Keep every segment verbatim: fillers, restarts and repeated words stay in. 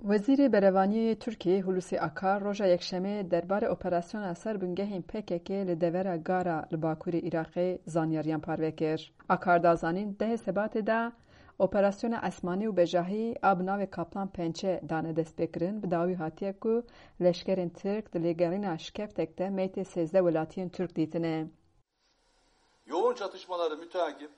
Wezîrê Berevaniyê yê Tirkiyê Hulusi Akar roja Yekşemê derbarê operasyona ser bingehên P K K li devera Gara li bakurê Iraqê zanyariyan parve kir. Akar da zanîn, dehê Sebatê de operasyona esmanî û bejahî a bi navê Kaplan Pençe dane destpêkirin, bi dawî hatiye ku leşkerên Tirk di lêgerîna şikeftek de meytê sêzdeh welatiyên Tirk dîtine. Yoğun çatışmaları müteakip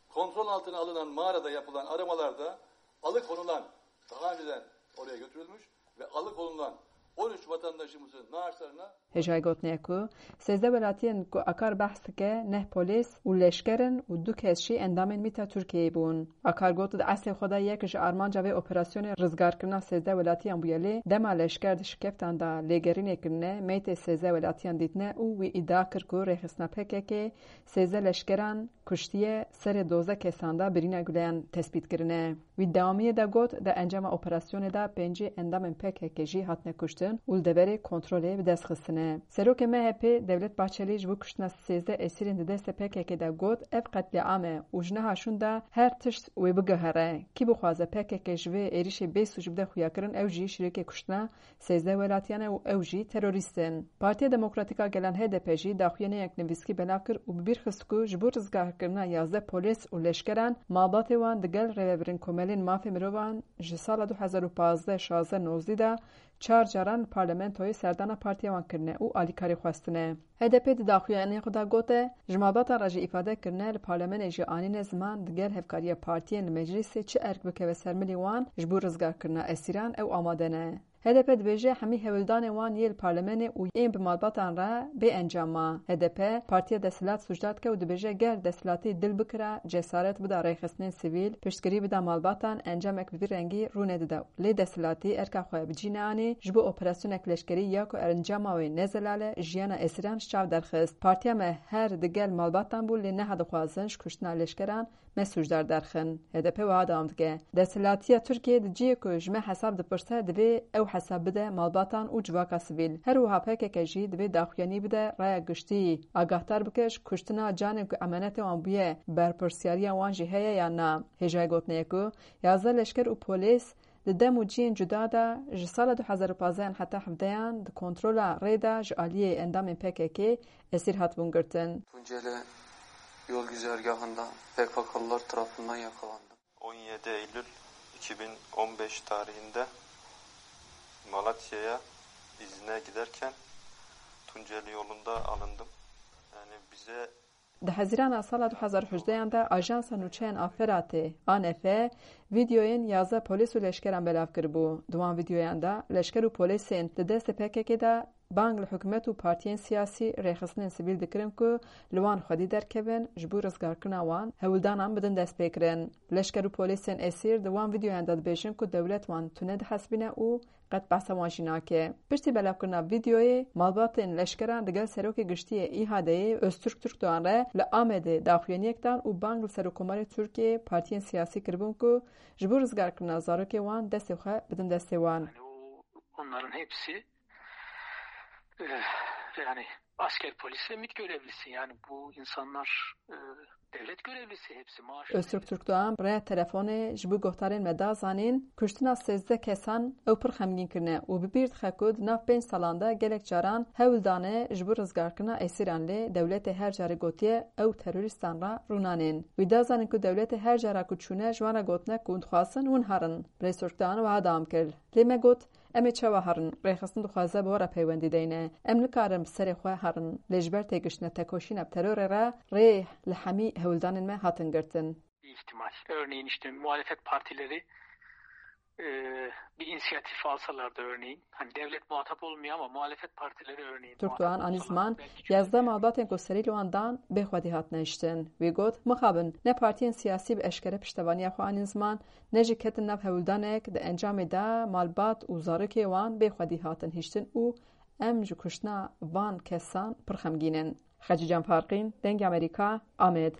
kontrol altına alınan mağarada yapılan aramalarda alıkonulan, daha önceden oraya götürülmüş ve alıkonulan on üç vatandaşımızın naaşlarına Hêjayî gotinê ye ku sêzdeh welatiyên ku Akar behs dike neh polîs û leşker in û du kes jî endamên mîta Tirkiyeyê bûn. Akar got, di eslê xwe de yek ji armanca vê operasyonê rizgarkirina sêzdeh welatiyan bûye, lê dema leşker di şikeftan de lêgerînê kirine, meytê sêzdeh welatiyan dîtine û wî îdia kir ku rêxistina P K K sêzdeh leşkeran kuştiye, serê dozdeh kesan de birîna guleyan tespît kirine. Wî dewamiyê de got, di encama operasyonê de pêncî endamên P K K jî hatine kuştin û li deverê kontrolê bi dest xistine. Serokê M H P Devlet Bahçelî ji bo kuştina sêzdeh esîrên di destê P K K de got, ev qetlîam e û ji niha şûn de her tişt wê biguhere. Kî bixwaze P K K ji vê êrişê bê sûc bide xuyakirin, ew jî şirîkê kuştina sêzdeh welatiyan e û ew jî terorîst in. Partiya Demokratîk a Gelan H D P jî daxuyaniyek nivîskî belav kir û bi bîr xist ku ji bo rizgarkirina yazdeh polîs û leşkeran malbatê wan digel rêvebirên komelên mafê mirovan ji sala du hezar û pazdeh şazdeh nozdî de çar caran li parlamentoyê serdana partiya wan kirine û alîkarî xwestine. H D P di daxuyaniyê xwe de gote, ji malbatan re jî îfade kirine, li parlamenê jî anîne ziman, digel hevkariya partiyên li meclîsê çi erk bikeve ser milî wan ji bo rizgarkirina esîran ew amade ne. H D P dibêje, hemî hewldanên wan yê li parlamenê û yên bi malbatan re bê encam ma. H D P partiya desthilat sûcdar dike û dibêje, ger desthilatî dil bikira, cesaret bida rêxistinên sivîl, piştgirî bida malbatan, encamek bi vî rengî rû nedida. Lê desthilatî erka xwe bi cî neanî, ji bo operasyonek leşkerî ya ku encama wê ne zelal e, jiyana esîran ji çav derxist. Partiya me her digel malbatan bû, lê niha dixwazin ji kuştina leşkeran me sûcdar derxin. H D P wiha dewam dike, Desthilatiya Tirkiyê di cihê ku ji me hesab dipirse, divê ew hesab bide malbatan û civaka sivîl. Her wiha P K K jî divê daxuyanî bide raya giştî, agahdar bike ji kuştina canên ku emanetê wan bûye, berpirsiyariya wan jî heye yan na. Hêjayî gotinê ye ku yazdeh leşker û polîs di dem û cihên cuda de ji sala du hezar û pazdeh heta hevdehan di kontrola rê de ji aliyê endamên P K K esîr hatibûn girtin. Tunceli yol güzergahında P K K'lılar tarafından yakalandım. On yedi Eylül iki bin on beş tarihinde Malatya'ya izne giderken Tunceli yolunda alındım. Yani bize Di Hezîrana sala du hezar û hejdehan de Ajansa Nûçeyan a Feratê, A N F, vîdeoyên yazdeh polîs û leşkeran belav kiribû. Di wan vîdeoyan de leşker û polîsên di destê P K K de bang li hikûmet û partiyên siyasî, rêxistinên sivîl dikirin ku li wan xwedî derkevin, ji bo rizgarkirina wan hewldanan bidin destpêkirin. Leşker û polîsên esîr di wan vîdeoyan de dibêjin ku dewlet wan tune dihesibîne û qet behsa wan jî nake. Piştî belavkirina vîdeoyê, malbatên leşkeran digel Serokê Giştî yê İHA'deyê Öztürk Türkdoğan re li Amedê daxuyaniyek dan û bang li Serokkomarê Tirkiyeyê partiyên siyasî kiribûn ku ji bo rizgarkirina zarokê wan destê xwe bidin destê wan. Yani o, onların hepsi e, yani asker, polis ve MİT görevlisi. Yani bu insanlar e, devlet görevlisi hepsi. Maaş Öztürk Türkdoğan bi rêya telefonê ji bo guhdarên me da zanîn, kuştina sêzdeh kesan ew pir xemgîn kirine û bi bîr dixe ku di nav pênc salan de gelek caran hewl dane ji bo rizgarkirina esîran, lê dewletê her carê gotiye ew terorîstan re rûnanên. Wî da zanîn ku dewletê her cara ku çûne ji wan re gotine ku hûn dixwazin hûn herin. Birêz Türkdoğan wiha dewam kir, Lê me got, Em ê çawa herin? Rêxistin dixwaze bi we re peywendî deyne. Em nikarin bi serê xwe herin. Lê ji ber têgiştine tekoşîna bi terorê re rê li hemî hewldanên me hatin girtin. İhtimal. Örneğin işte muhalefet partileri e, bir inisiyatif alsalardı örneğin. Hani devlet muhatap olmuyor ama muhalefet partileri örneğin. Türkdoğan anî ziman, yazdeh malbatên ku serî li wan dan bê xwedî hatine hiştin. Wî got, Mixabin, ne partiyên siyasî bi eşkere piştevaniya xwe anîn ziman, ne jî ketin nav hewldanek, di encamê de malbat û zarokê wan bê xwedî hatin hiştin û em ji kuştina van kesan pir xemgîn in. Xecîcan Farqîn, Dengê Amerîka, Amed.